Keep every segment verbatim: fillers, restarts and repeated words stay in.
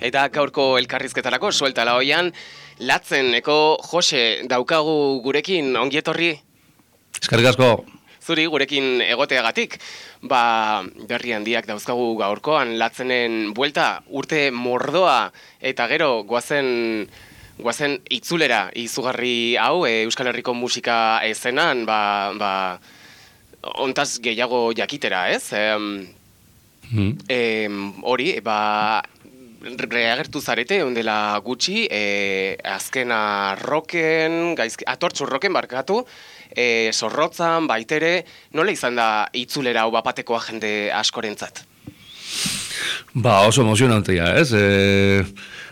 Eta gaurko elkarrizketarako suelta la hoian, Latzeneko Jose daukagu gurekin, ongi etorri. Eskerrik asko. Zuri gurekin egoteagatik. Ba, berri handiak dauzkagu gaurkoan, Latzenen buelta urte mordoa eta gero goazen goazen itzulera izugarri hau e, Euskal Herriko musika ezenan, ba, ba ontaz gehiago jakitera, ez? Em, mm. em, hori, ba reagertu zarete ondela gutxi, e, azkena roken, gaizki, atortxu roken barkatu, e, zorrotzan, baitere, nola izan da itzulera hau bapatekoa jende askorentzat? Ba, oso emozionantea, ez? E,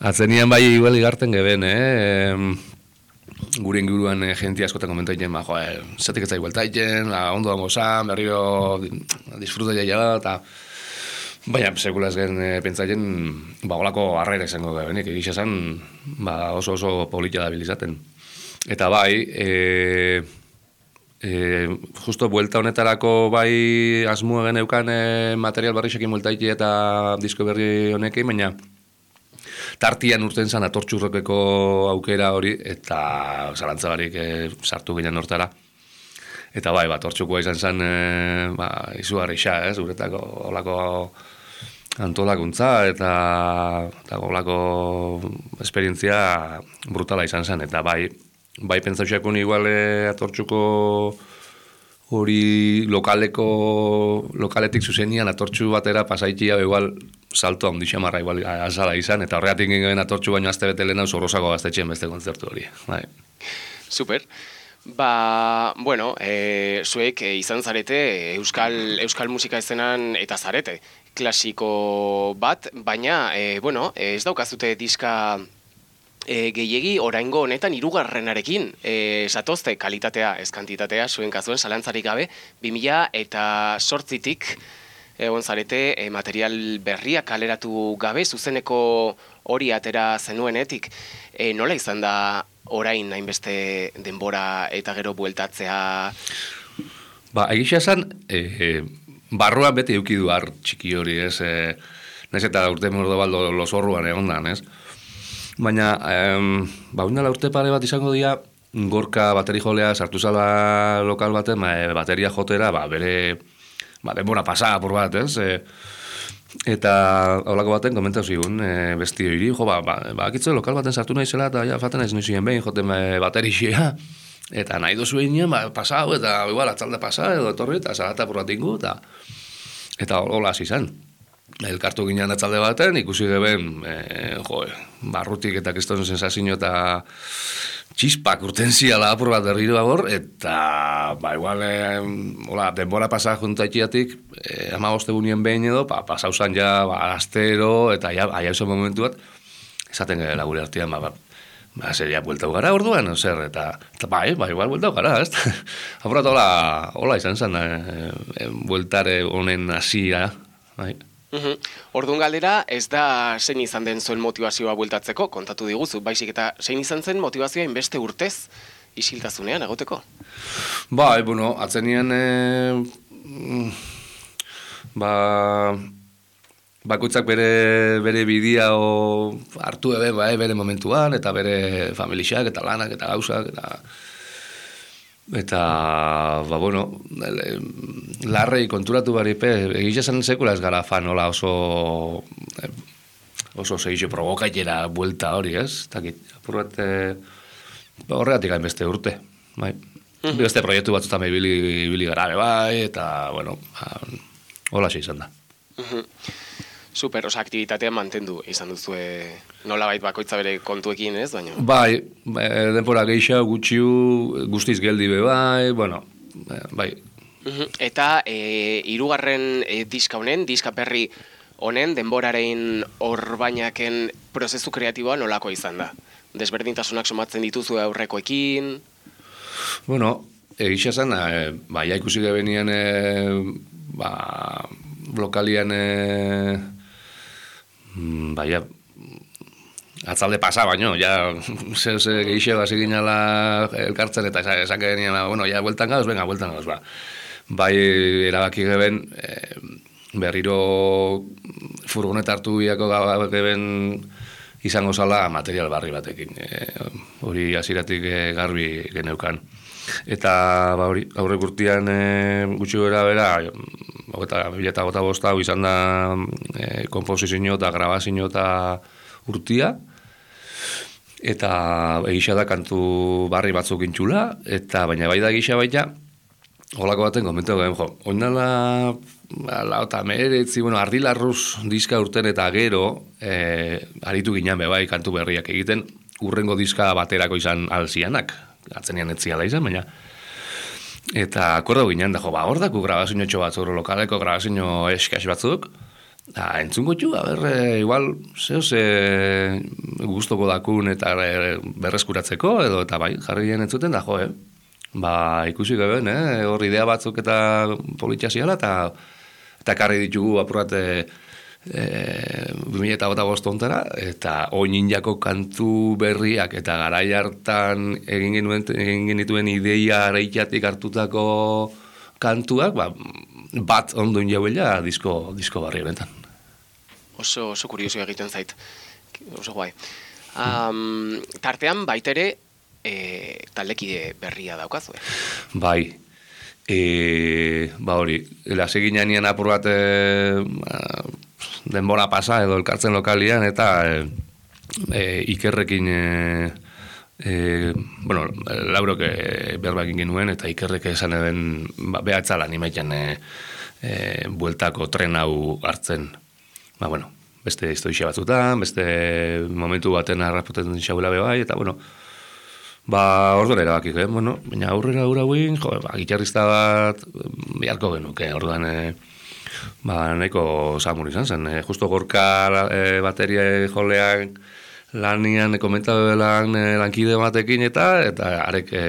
atzenian bai igual igarten geben, eh? E, gure inguruan e, jenti askotan komentaiten, ba, joa, e, zetik ez da igueltaiten, la, ondo dango zan, berriro disfruta jaila da, eta baina, sekula ez gen e, pentsaien, ba, olako harrera izango da benik, egisa zen, ba, oso oso polita da bilizaten. Eta bai, e, e, justo buelta honetarako bai asmua geneukan e, material barrixekin bueltaiki eta disko berri honekin, baina tartian urten zen atortxurrokeko aukera hori, eta zalantzabarik e, sartu ginen hortara. Eta bai, bat hortxukoa izan zen, e, ba, izugarri xa, ez, uretako olako antolakuntza eta eta olako esperientzia brutala izan zen, eta bai, bai pentsauxakun igual e, atortxuko hori lokaleko, lokaletik zuzenian atortxu batera pasaitia igual salto handi xamarra igual azala izan, eta horregatik ginen atortxu baino azte bete lehena zorrozako gaztetxeen beste kontzertu hori. Bai. Super. Ba, bueno, e, zuek e, izan zarete euskal, euskal musika ezenan eta zarete klasiko bat, baina, e, bueno, ez daukazute diska e, gehiegi oraingo honetan hirugarrenarekin e, satozte kalitatea, ez kantitatea, zuen kazuen zalantzarik gabe, bi mila eta zortzitik egon zarete e, material berriak kaleratu gabe, zuzeneko hori atera zenuenetik, e, nola izan da orain hainbeste denbora eta gero bueltatzea? Ba, egisa esan, e, e, barruan beti eukidu har txiki hori, ez? E, naiz eta urte mordo baldo losorruan egon dan, ez? Baina, em, ba, undala urte pare bat izango dira, Gorka bateri jolea sartu zala lokal baten, ba, e, bateria jotera, ba, bere, ba, denbora pasa, por bat, ez? E, eta holako baten komentau zigun, e, besti hori, jo, ba, ba, ba akitze lokal baten sartu nahi zela, eta ja, faten nahi zinuen behin, joten e, baterixea, eta nahi dozu egin, ba, pasau, eta igual, atzalde pasa, edo etorri, eta zarata porratingu, eta eta hola hasi zen. Elkartu ginean atzalde baten, ikusi geben, e, jo, barrutik eta kriston sensazio eta txispak urten ziala apur bat berriro agor, eta, ba, igual, e, hola, denbora pasa juntaitiatik, e, ama bostegunien behin edo, pa, pasau zan ja, ba, astero, eta ja, aia esan momentu bat, esaten gara gure artean, ba, ba, ba, seria bueltau gara orduan, zer, eta, eta bai, bai, igual bueltau gara, ez? Apurat, hola, hola izan zen, e, e, bueltare honen hasia, bai. Uhum. Orduan galdera, ez da zein izan den zuen motivazioa bueltatzeko, kontatu diguzu, baizik eta zein izan zen motivazioa inbeste urtez isiltasunean egoteko? Ba, e, bueno, atzenien, e, ba, bakutzak bere, bere bidia o hartu ebe, ba, e, bere momentuan, eta bere familixak, eta lanak, eta gauzak, eta eta, ba, bueno, larrei konturatu baripe, egitza zen sekula ez gara fan, hola oso oso zehizu provokaitera buelta hori, ez? Eta apurrat, ba, horregatik gain beste urte, bai. Mm-hmm. Beste proiektu batzutan ibili, ibili gara, bai, eta, bueno, ba, hola xe izan da. Mm-hmm. Super, osa, aktibitatea mantendu izan duzue nolabait bakoitza bere kontuekin, ez? Baina. Bai, denpora geisha, gutxiu, guztiz geldi be, bai, bueno, bai. Eta e, hirugarren e, diska honen, diska berri honen, denboraren orbainaken prozesu kreatiboa nolako izan da? Desberdintasunak somatzen dituzu aurrekoekin? Bueno, egisa zen, e, bai, ikusi gebenien, e, ba, lokalian, e, baina, atzalde pasa baino, ja, ze, ze geixeo hasi ginala elkartzen, eta esan genien, bueno, ja, bueltan gauz, venga, bueltan gauz, ba. Bai, erabaki geben, e, berriro furgoneta hartu biako geben izango zala material barri batekin. E, hori hasieratik e, garbi geneukan. Eta ba, hori, aurrek urtean e, gutxi bera bera, eta bila eta gota bosta, izan da e, komposizio eta grabazio eta urtia, eta egisa da kantu barri batzuk intxula, eta baina bai da egisa baita, holako baten komentu gehen, jo, oinala lau eta meretzi, bueno, ardilarruz diska urten eta gero, e, aritu ginen bebai kantu berriak egiten, urrengo diska baterako izan alzianak, atzenean etziala izan, baina eta akordo ginen, da jo, ba, hor daku grabazio batzuk, lokaleko grabazio eskas batzuk, da, entzungo txu, a ber, e, igual, zeo ze guztoko dakun eta e, berreskuratzeko, edo, eta bai, jarri ginen entzuten, da jo, eh? Ba, ikusi geben, eh? Hor idea batzuk eta politxea ziala, eta eta karri ditugu apurate e, bi mila eta bost ontera, eta oin jako kantu berriak, eta garai hartan egin genuen, egin genituen ideia areitiatik hartutako kantuak, ba, bat ondoin jauela disko, disko barri honetan. Oso, oso kurioso egiten zait, oso guai. Um, tartean baitere, E, taldekide berria daukazue. Bai. E, ba hori, lase ginean apur bat e, denbora pasa edo elkartzen lokalian, eta e, e, ikerrekin e, e, bueno, laurok e, berbakin genuen, eta ikerrek esan eben ba, behatzalan imaitan e, e, bueltako tren hau hartzen. Ba, bueno, beste historia batzutan, beste momentu baten arrapoten xaula bebai, eta bueno, ba, orduan erabakik, eh? Bueno, baina aurrera aurra guin, jo, ba, gitarrista bat beharko genuke, orduan, e, ba, nahiko samur izan zen. E, justo gorka e, bateria jolean lanian komentabelan e, lankide batekin eta, eta arek e,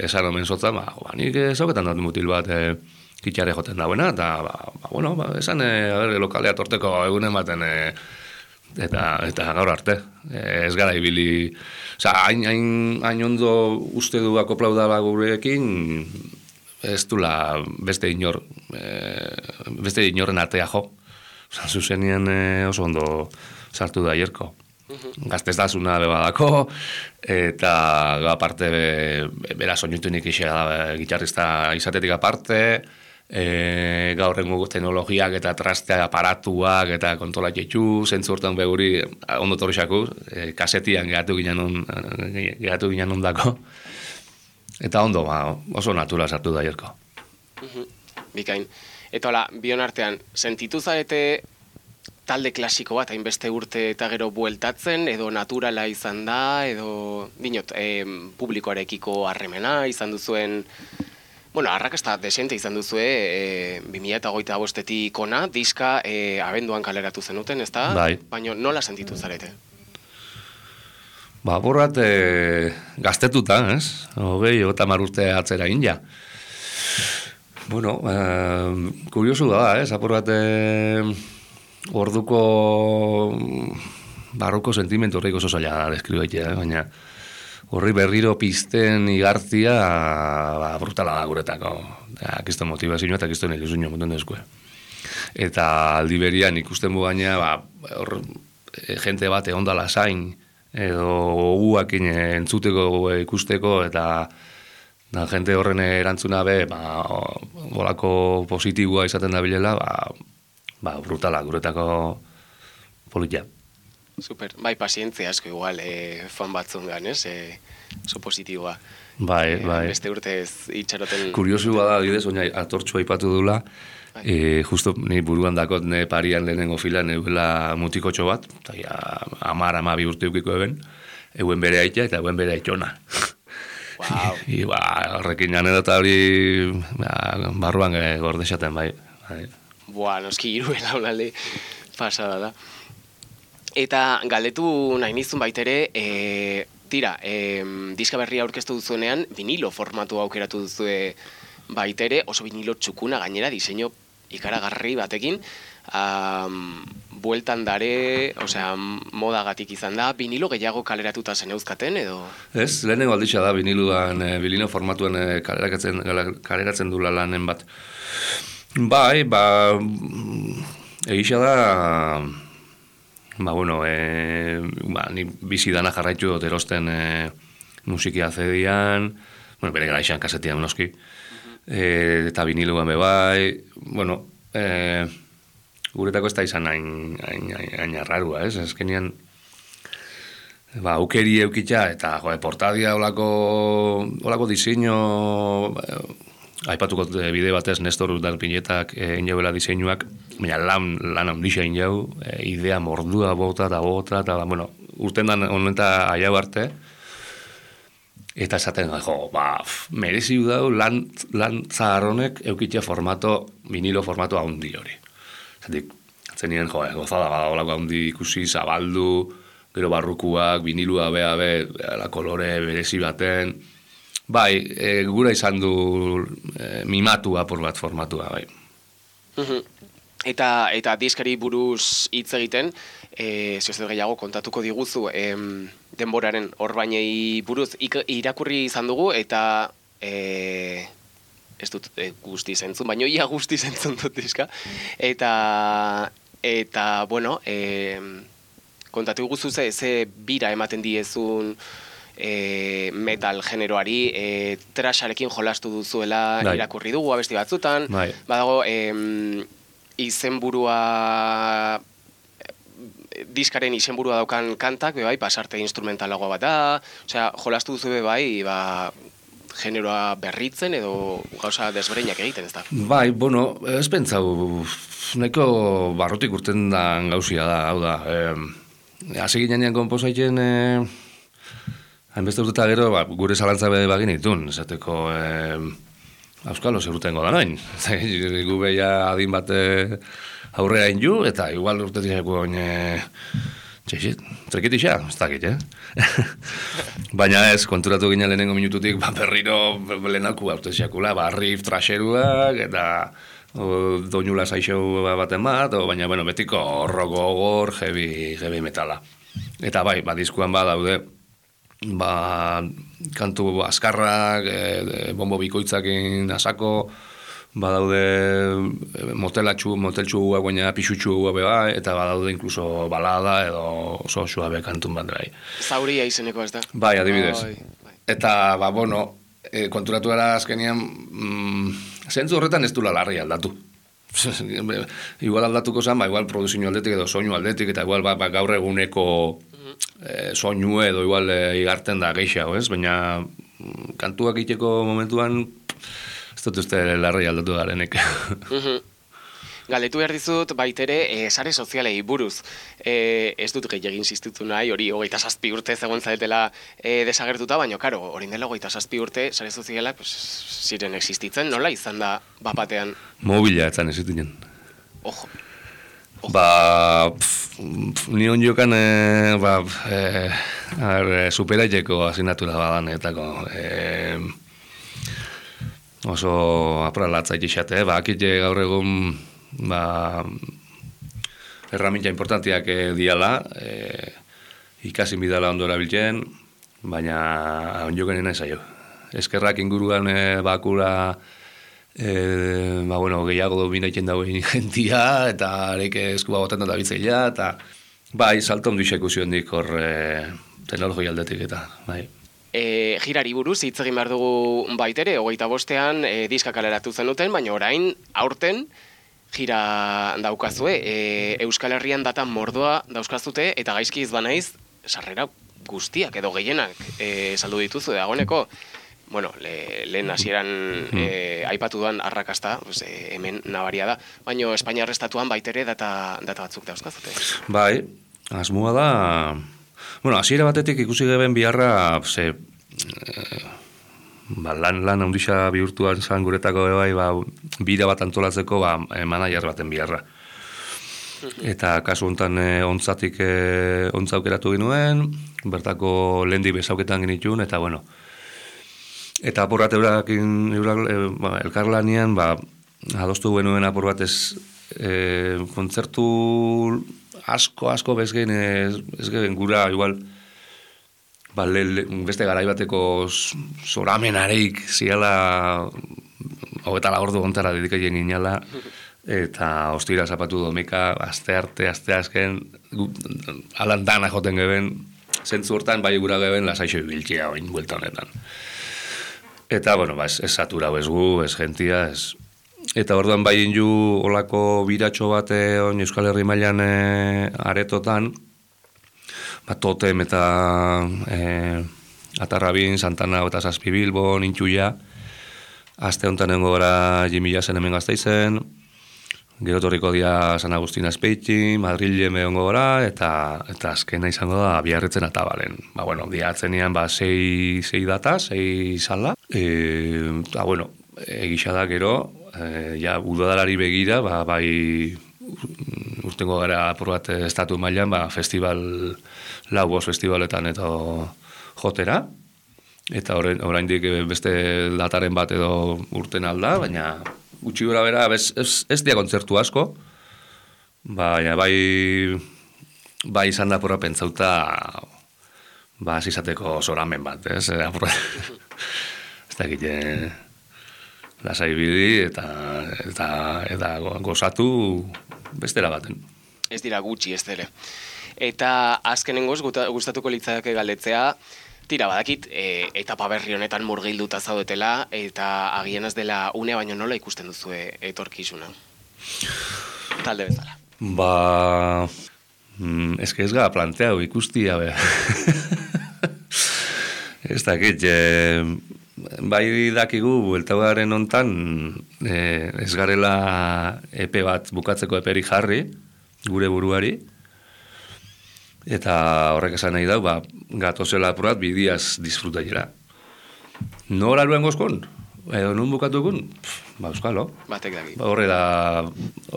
esan omen zotzen, ba, ba, nik zauketan dut mutil bat e, gitare joten dauena, eta, ba, ba, bueno, ba, esan, e, a ber, lokalea torteko egunen baten, e, eta eta gaur arte. Ez gara ibili, oza, hain, hain, hain ondo uste du akoplau dala gurekin, ez dula beste inor, e, beste inorren artea jo. Oza, zuzenien e, oso ondo sartu da hierko. Gaztez da zuna bebadako, eta aparte be, bera soinutunik isea da, gitarrista izatetik aparte, E, gaur rengo teknologiak eta traste aparatuak eta kontrola jetxu, zentzu hortan beguri ondo torrexako, e, kasetian gehatu ginen, on, gehatu ginen ondako. Eta ondo, ba, oso natura sartu da jerko. Bikain. Eta hola, bion artean, sentitu zarete talde klasiko bat, hainbeste urte eta gero bueltatzen, edo naturala izan da, edo, dinot, e, publikoarekiko harremena izan duzuen. Bueno, arrakasta desente izan duzue, e, bi mila hogeita bostetik ona, diska e, abenduan kaleratu zenuten, ez da? Bai. Baina nola sentitu zarete? Ba, borrat e, gaztetuta, ez? Hogei, eta marurte atzera inja. Bueno, e, kuriosu da, ez? Apur bat e, orduko barruko sentimentu horreiko oso zaila deskribaitea, eh? Baina horri berriro pizten igartzia ba, brutala da guretako. Akizto motivazioa eta akizto nilizunio montun dezkue. Eta aldi berian ikusten bu gaina, ba, hor, e, jente bat egondala zain, edo guakin entzuteko ikusteko, eta da, jente horren erantzuna be, ba, golako positiboa izaten da bilela, ba, ba, brutala guretako politia. Super, bai, pazientzia asko igual, e, fan batzungan, ez? E, so positiboa. Bai, e, bai. Beste urtez itxaroten. Kuriosu bada, bidez, oina atortxua aipatu dula, bai. e, justo ni buruan dakot ne parian lehenengo filan, eguela mutikotxo bat, eta ja, amar, ama bi urte eukiko eben, eguen bere aitea eta eguen bere aitona. Wow. I, ba, horrekin anedota hori ba, barruan e, gordexaten, bai. bai. Boa, noski iruen haunalde pasada da. Eta galdetu nahi nizun baitere, e, tira, e, diska berria aurkeztu duzuenean, vinilo formatu aukeratu duzue baitere, oso vinilo txukuna gainera, diseño ikaragarri batekin, um, bueltan dare, osea, modagatik izan da, vinilo gehiago kaleratuta zen euskaten, edo? Ez, lehenengo alditxa da viniluan, e, vinilo formatuan e, kaleratzen, kaleratzen dula lanen bat. Bai, ba, egisa da, ba, bueno, e, ba, ni bizi dana jarraitu dut erosten e, musikia zedian, bueno, bere gara izan kasetian noski, e, eta viniluan bebai, bueno, e, guretako ez da izan hain, hain, hain, hain arrarua, ez? Ezkenean, ba, aukeri eukitza, eta, joe, portadia olako, olako diseño, eh, aipatuko bide batez, Nestor Udalpinetak egin eh, jauela diseinuak, baina lan, lan handixa egin jau, eh, idea mordua bota eta bota, eta, bueno, urten dan honeta aiau arte, eta esaten, jo, ba, merezi dau lan, lan zaharronek eukitza formato, vinilo formato handi hori. Zatik, zenien, jo, gozada bada olako handi ikusi, zabaldu, gero barrukuak, vinilua bea be, la kolore berezi baten. Bai, e, gura izan du e, mimatu apur bat formatua, bai. Eta, eta diskari buruz hitz egiten, e, zioz gehiago kontatuko diguzu, em, denboraren orbainei buruz ik, irakurri izan dugu, eta... E, ez dut e, guzti zentzun, baina ia guzti zentzun dut diska. Eta, eta bueno, e, kontatu guzu ze, ze bira ematen diezun e, metal generoari, e, trasharekin jolastu duzuela Dai. Irakurri dugu abesti batzutan. Bai. Badago, e, izenburua, diskaren izenburua daukan kantak, bebai, pasarte instrumentalagoa bat da, osea, jolastu duzu bebai, ba, generoa berritzen edo gauza desbreinak egiten, ez da? Bai, bueno, ez pentsau, nahiko barrotik urten da gauzia da, hau da. Eh, Hasi ginean konposaiten, eh, hainbeste urteta gero, ba, gure zalantza bede bagin itun, esateko, eh, auskalo zerrutengo da noin. Gu beia adin bat aurrea inju, eta igual urtetik eguen, eh, txexit, trekitixa, ez dakit, eh? Baina ez, konturatu gina lehenengo minututik, ba, berriro lehenaku haute ziakula, ba, riff trasheruak, eta o, doinula saixo baten bat, o, baina, bueno, betiko rock gogor, heavy, heavy metala. Eta bai, ba, diskuan ba, daude, ba, kantu askarrak, e, bombo bikoitzakin asako, badaude motelatxu, moteltxuak, baina pixutxuak beba, eta badaude inkluso balada edo oso suabe kantun bat bai. Zauria izeneko ez da? Bai, adibidez. Oh, bai. Eta, ba, bueno, e, konturatu gara azkenean, mm, zentzu horretan ez dula larri aldatu. Igual aldatuko zen, ba, igual produzio aldetik edo soinu aldetik, eta igual ba, ba, gaur eguneko e, soinu edo igual e, igarten da geixau, ez? Baina mm, kantuak iteko momentuan ez dut uste larri aldatu garenek. Galdetu behar dizut baitere e, sare sozialei buruz. E, ez dut gehiagin insistitu nahi, hori hogeita zazpi urte zegoen zaetela e, desagertuta, baina, karo, hori dela hogeita zazpi urte sare sozialak pues, ziren existitzen, nola izan da bapatean? Mobila etzan existitzen. Ojo. Ojo. Ba, pf, pf, ni hon jokan, e, ba, e, ar, superaiteko asignatura badanetako. E, oso apralatza itxate, ba, akite gaur egun ba, erramintza importantiak e, diala, e, ikasin bidala ondo erabiltzen, baina onjoken nahi zaio. Eskerrak inguruan e, bakura e, ba, bueno, gehiago dominaiten dagoen jentia, eta areik eskuba botan da bitzeila, eta bai, salto ondu ikusion dik hor e, teknologia aldetik eta, bai. E, jirari buruz, hitz egin behar dugu baitere, hogeita bostean e, diska kaleratu zenuten, baina orain, aurten, jira daukazue, e, Euskal Herrian data mordoa dauzkazute, eta gaizki izbanaiz, sarrera guztiak edo gehienak e, saldu dituzu dagoeneko. Bueno, le, lehen hasieran e, aipatu duan arrakasta, pues, e, hemen nabaria da, baina Espainiar estatuan baitere data, data batzuk dauzkazute. Bai, asmoa da... Bueno, hasiera batetik ikusi geben biharra, ze, e, ba, lan, lan handixa bihurtuan zan guretako bai, ba, bira bat antolatzeko ba, e, manager baten biharra. Eta kasu honetan e, ontzatik e, ontza aukeratu ginuen, bertako lehendik bezauketan genitun, eta bueno, eta aporrat eurakin, eurak, e, ba, elkarlanian, ba, adostu genuen apur bat ez e, kontzertu asko, asko bezgen, ez, ez gen gura, igual, ba, le, le, beste garaibateko zoramenareik ziala, hogeta lagordu gontara dedikaien inala, eta ostira zapatu domika, azte arte, azte azken, alan dana joten geben, zentzu hortan bai gura geben lasaixo ibiltzea oin buelta honetan. Eta, bueno, ba, ez, ez saturau ez gu, ez gentia, ez... Eta orduan bai inju olako biratxo bat on Euskal Herri mailan e, aretotan, ba, Totem eta e, Atarrabin, Santana eta Zazpi Bilbon, Intxuia, aste honetan nengo gara Jimmy Jassen hemen Gasteizen, gero torriko dia San Agustin Azpeiti, Madrile mehongo gara, eta, eta azkena izango da Biarritzen Atabalen. Ba, bueno, diatzenian ba, sei, sei data, sei sala, e, eta, bueno, egisa da gero, e, ja, udadalari begira, ba, bai urtengo gara apur bat estatu mailan, ba, festival, lau bost festivaletan eta jotera, eta oraindik beste dataren bat edo urten alda, baina gutxi gora bera, ez, ez, ez dia kontzertu asko, baina bai, bai izan da apurra pentsauta, ba, izateko zoramen bat, ez, apurra, ez da egite, lasai bidi eta, eta, eta gozatu bestera baten. Ez dira gutxi ez dere. Eta azkenengoz gustatuko litzake galdetzea, tira badakit, e, etapa berri honetan murgilduta zaudetela, eta agian ez dela une baino nola ikusten duzue etorkizuna? Talde bezala. Ba... Mm, ez que ez gara planteau ikustia, be. Ez dakit, e, bai dakigu, bueltauaren hontan, e, ez garela epe bat bukatzeko eperi jarri, gure buruari, eta horrek esan nahi dau, ba, gatozela apurat bidiaz disfrutaiera. Nora luen gozkon? Edo nun bukatukun? Ba, euskalo. Batek daki. Ba, horre da,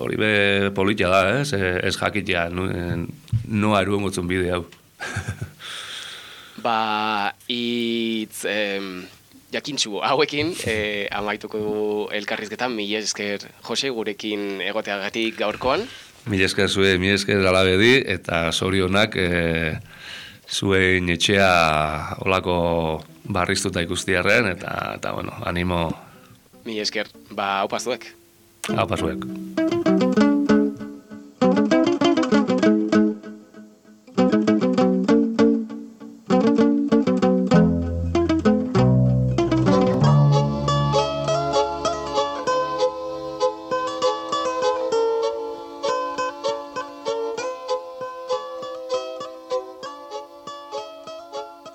hori be politia da, ez? Ez jakitea, noa eruen gotzun bide hau. Ba, itz... Em... jakintxu, hauekin, eh, amaituko du elkarrizketan, mila esker Jose gurekin egoteagatik gaurkoan. Mila esker zue, mila esker alabedi, eta zorionak eh, zuen etxea olako barriztuta ikustiarren, eta, eta bueno, animo. Mila esker, ba, haupa zuek. Haupa zuek.